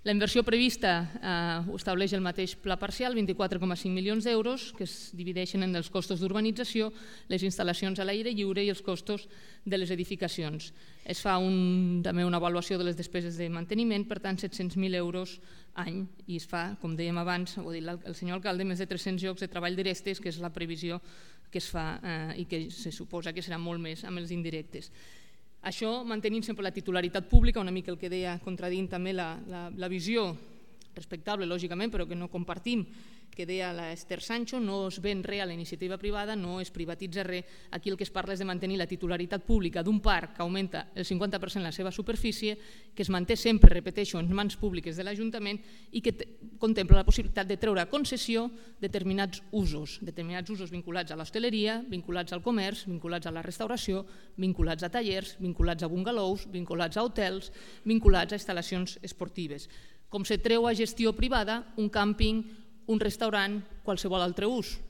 La inversió prevista ho estableix el mateix pla parcial, 24,5 milions d'euros, que es divideixen en els costos d'urbanització, les instal·lacions a l'aire lliure i els costos de les edificacions. Es fa també una avaluació de les despeses de manteniment, per tant 700.000 euros any, i es fa, com dèiem abans, ho ha dit el senyor alcalde, més de 300 llocs de treball directes, que és la previsió que es fa i que se suposa que serà molt més amb els indirectes. Això mantenint sempre la titularitat pública, una mica el que deia, contradint també la visió respectable, lògicament, però que no compartim, que deia l'Esther Sancho, no es ven res a la iniciativa privada, no es privatitza res. Aquí el que es parla és de mantenir la titularitat pública d'un parc que augmenta el 50% la seva superfície, que es manté sempre, repeteixo, en mans públiques de l'Ajuntament i que contempla la possibilitat de treure a concessió determinats usos vinculats a l'hostaleria, vinculats al comerç, vinculats a la restauració, vinculats a tallers, vinculats a bungalows, vinculats a hotels, vinculats a instal·lacions esportives. Com se treu a gestió privada un càmping, un restaurant, qualsevol altre ús.